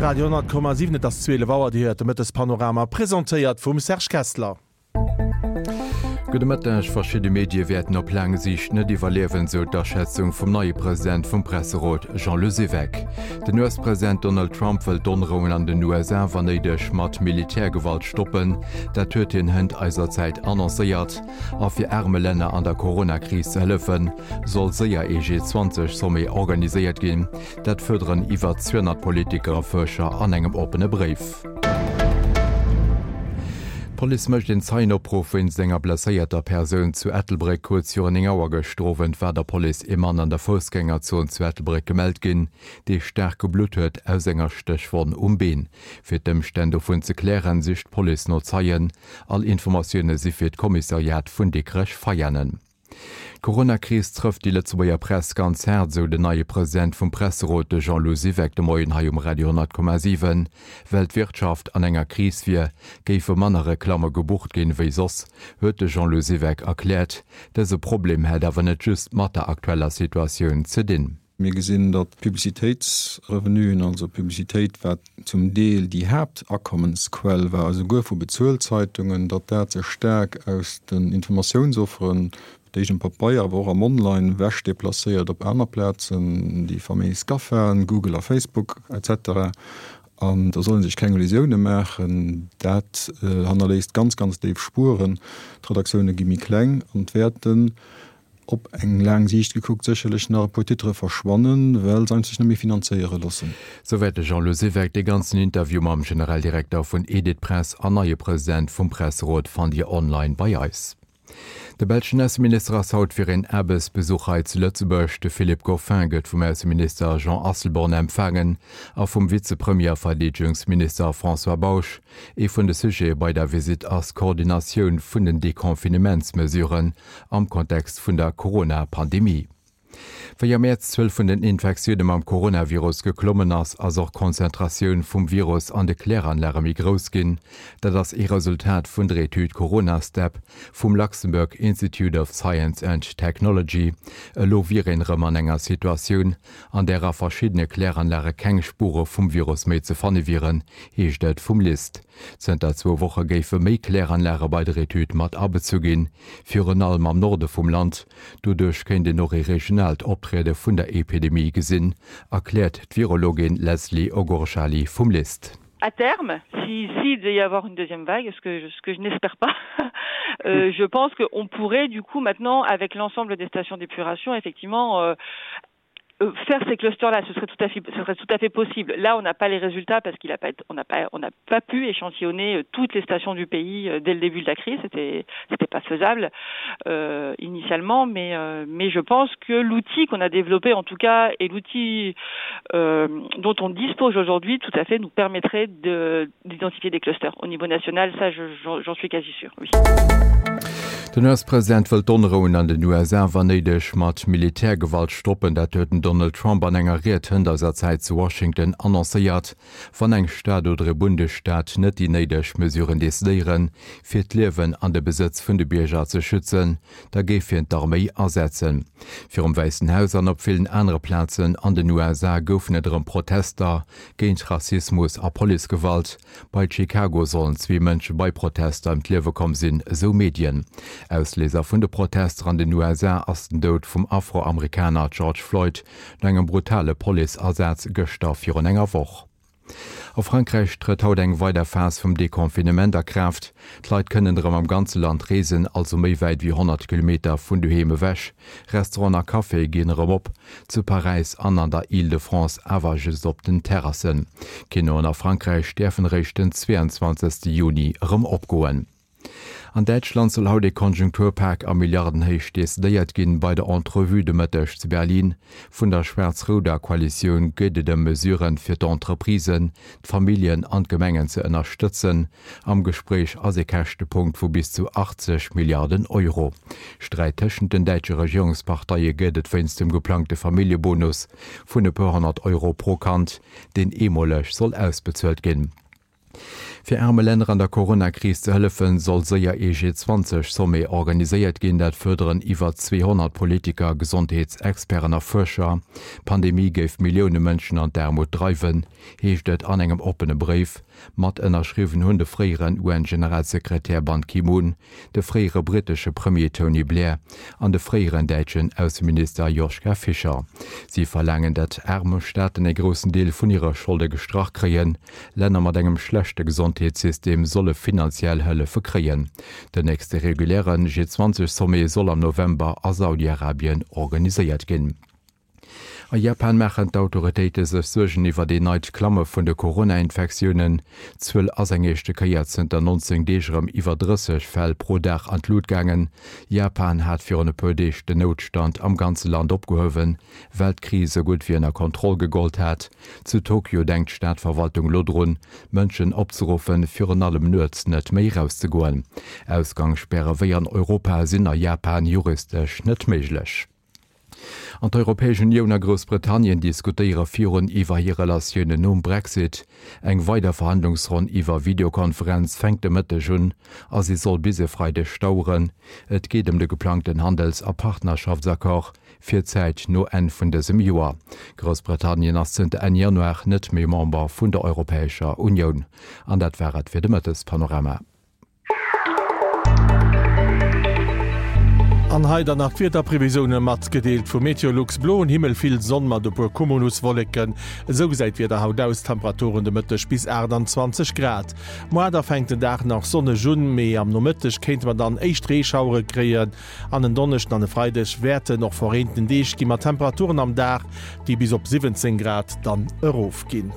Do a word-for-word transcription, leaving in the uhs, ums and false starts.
Radio honnert Komma siwen, Et ass zwielef Auer, Dir héiert de Mëttespanorama, presentéiert vum Serge Kessler. Gudde Mëtteg. Verschidde Medie wäerten op laang Siicht net iwwerliewen, sou d'Aschätzung vum neie President vum Presserot Jean Le Syvec. Den U S-President Donald Trump wëll d'Onrouen an den U S A wann néideg mat Militärgewalt stoppen. Dat huet hien hënt eiser Zäit annoncéiert. A fir aarme Länner an der Coronakris ze hëllefen, soll séier ee G zwanzeg Sommet organiséiert ginn. Dat fuerderen iwwer zweehonnert Politiker a Fuerscher an engem oppene Bréif. D'Police mécht een Zeienopruff wéinst enger blesséierter Persoun zu Ettelbréck. Kuerz virun néng Auer gëschter Owend war der Police ee Mann an der Foussgängerzon zu Ettelbréck gemellt ginn, dee staark geblutt huet aus enger Stéchwonn um Been. Fir d'Ëmstänn dovun ze klären, sicht d'Police no Zeien. All Informatioune si fir d'Kommissariat vun Dikrech-Veianen. D'Coronakris trëfft déi Lëtzebuerger Press ganz haart, sou den neie President vum Presserot, de Jean-Lou Siweck, de Moien hei um Radio honnert Komma siwen. Well d'Wirtschaft an enger Kris wier, géife manner Reklamme gebucht ginn, wéi soss, huet de Jean-Lou Siweck erkläert. Dëse Problem hätt awer net just mat der aktueller Situatioun ze dinn. Mir gesinn, datt d'Publicitéitsrevenuen, also Publicitéit, wat zum Deel déi Haaptakommensquell war, esouguer vu Bezuelzeitungen, datt dat sech staark aus den Informatiounsofferen, déi um Pabeier, awer och am Online, ewech deplacéiert op aner Plazen, déi faméis GAFAen, Google a Facebook et cetera. An do soll ee sech keng Illusioune maachen, dat hannerléisst ganz, ganz déif Spueren. D'Redaktioune gi méi kleng an et wäerten op eng laang Siicht gekuckt sécherlech nach e puer Titere verschwannen, well se sech net méi finanzéiere loossen. Souwäit de Jean-Lou Siweck. Dee ganzen Interview mam Generaldirekter vun Editpress an neie President vum Presserot fannt Dir online bei eis. De belschen Ausseminister ass haut fir een Aarbechtsbesuch hei zu Lëtzebuerg. De Philippe Goffin gëtt vum Ausseminister Jean Asselborn empfaangen a vum Vizepremier a Verdeedegungsminister François Bausch. Ee vun de Sujete bei der Visitt ass d'Koordinatioun vun den Deconfinementsmesuren am Kontext vun der Corona-Pandemie. Wéi am Mäerz d'Zuel vun den Infektioune mam Coronavirus geklommen ass, ass och d'Konzentratioun vum Virus an de Kläranlage méi grouss ginn. Dat ass ee Resultat vun der Etüd Corona-Step vum Luxembourg Institute of Science and Technology. Elo wier een erëm an enger Situatioun, an där a verschiddene Kläranlage keng Spure vum Virus méi ze fanne wieren, heescht et vum LIST. Zënter zwou Woche géife méi Kläranlage bei der Etüd mat abezu ginn, virun allem am Norde vum Land. Doduerch kéint een och ee regionaalt Optriede vun der Epidemie gesinn, erkläert d'Virologin Leslie Ogorjali vum LIST. À terme, si s'il devait y avoir une deuxième vague, ce que je, ce que je n'espère pas, euh, je pense qu'on pourrait du coup maintenant, avec l'ensemble des stations d'épuration, effectivement euh, euh, faire ces clusters là. Ce serait tout à fait ce serait tout à fait possible. Là, on n'a pas les résultats parce qu'il a pas on n'a pas on n'a pas pu échantillonner euh, toutes les stations du pays euh, dès le début de la crise. C'était c'était pas faisable euh, initialement, mais euh, mais je pense que l'outil qu'on a développé en tout cas et l'outil euh, dont on dispose aujourd'hui tout à fait nous permettrait de d'identifier des clusters au niveau national. Ça, j'en suis quasi sûr, oui. Den U S-President wëll d'Onrouen an den U S A wann néideg mat Militärgewalt stoppen. Dat huet den Donald Trump an enger Ried hënt eiser Zäit zu Washington annoncéiert. Wann eng Stad oder e Bundesstaat net déi néideg Mesuren decidéieren, fir d'Liewen an de Besëtz vun de Bierger ze schützen, da géif hien d'Arméi asetzen. Virum Wäissen Haus an op villen anere Plazen an den U S A goufen et erëm Protester géint Rassismus a Policegewalt. Bei Chicago sollen zwee Mënsche bei Protester ëm d'Liewe komm sinn, esou Medien. Ausléiser vun de Protester an den U S A ass den Doud vum Afroamerikaner George Floyd no engem brutale Policeasaz gëschter virun enger Woch. A Frankräich trëtt haut eng weider Phas vum Deconfinement a Kraaft. D'Leit kënnen erëm am ganze Land reesen, also méi wäit wéi honnert Kilometer vun doheem ewech. Restauranten a Caféë ginn erëm op, zu Paräis an an der Île-de-France awer just op den Terrassen. Kinoen a Frankräich däerfen eréischt den zweeanzwanzegste Juni erëm opgoen. An Däitschland soll haut ee Konjunkturpak a Milliardenhéicht decidéiert ginn. Bei der Entrevue de Mëtteg zu Berlin vun der schwaarz-rouder Koalitioun geet et ëm Mesuren, fir d'Entreprisen, d'Familljen an d'Gemengen ze ënnerstëtzen. Am Gespréich ass ee Käschtepunkt vu bis zu achtzeg Milliarden Euro. Sträit tëschent den däitsche Regierungsparteie gëtt et wéinst dem geplangte Familljebonus vun e puer honnert Euro pro Kand, deen eemoleg soll ausbezuelt ginn. Fir aarme Länner an der Coronakris ze hëllefen, soll séier ee G zwanzeg Sommet organiséiert ginn. Dat fuerderen iwwer zweehonnert Politiker, Gesondheetsexperten a Fuerscher. D'Pandemie géif Millioune Mënschen an d'Aarmut dreiwen, heescht et an engem oppene Bréif. Mat ënnerschriwwen hunn de fréieren U N-Generalsekretär Ban Ki-moon, de fréiere brittesche Premier Tony Blair an de fréieren däitschen Ausseminister Joschka Fischer. Si verlaangen, datt aarme Staaten e groussen Deel vun hire Scholde gestrach kréien. Länner mat engem schlechte Gesondheetssystem solle finanziell Hëllefe kréien. Den nächste reguläre G zwanzeg Sommet soll am November a Saudi-Arabien organiséiert ginn. A Japan maachen d'Autoritéite sech Suergen iwwer een neit Klamme vun de Corona-Infektiounen. D'Zuel ass eng éischte Kéier zënter nonzéng Deeg erëm iwwer drësseg Fäll pro Dag an d'Lut gaangen. Japan hat virun e puer Deeg den Noutstand am ganze Land opgehuewen, well d'Kris esou gutt wéi ënner Kontroll gegollt hat. Zu Tokio denkt d'Stadverwaltung elo drun, Mënschen opzeruffen, virun allem nuets net méi erauszegoen. Ausgangsspäre wéi an Europa sinn a Japan juristesch net méiglech. An d'Europäesch Unioun a Groussbritannien diskutéiere virun iwwer hir Relatiounen nom Brexit. Eng weider Verhandlungsronn iwwer Videokonferenz fänkt de Mëtteg un a si soll bis e Freideg daueren. Et geet ëm de geplangten Handels a Partnerschaftsaccord fir d'Zäit no Enn vun dësem Joer. Groussbritannien ass zënter Enn Januar net méi Member vun der Europäescher Unioun. An dat war et fir de Mëttespanorama. An hei dann nach d'Wiederprevisioune matgedeelt vu Meteolux, Bloen Himmel, vill Sonn mat e puer Cumuluswolleken. Esou gesäit d'Wieder haut aus, Temperaturen de Mëtteg bis achtanzwanzeg Grad. Moar da fänkt den Dag nach sonneg un, mee am Nomëtteg kéinte mer dann éischt Reeschauere kréien. An en Donneschden an e Freideg wäerten och verreenten Deeg gi mat Temperaturen am Dag, déi bis op siwwenzéng Grad dann erofginn.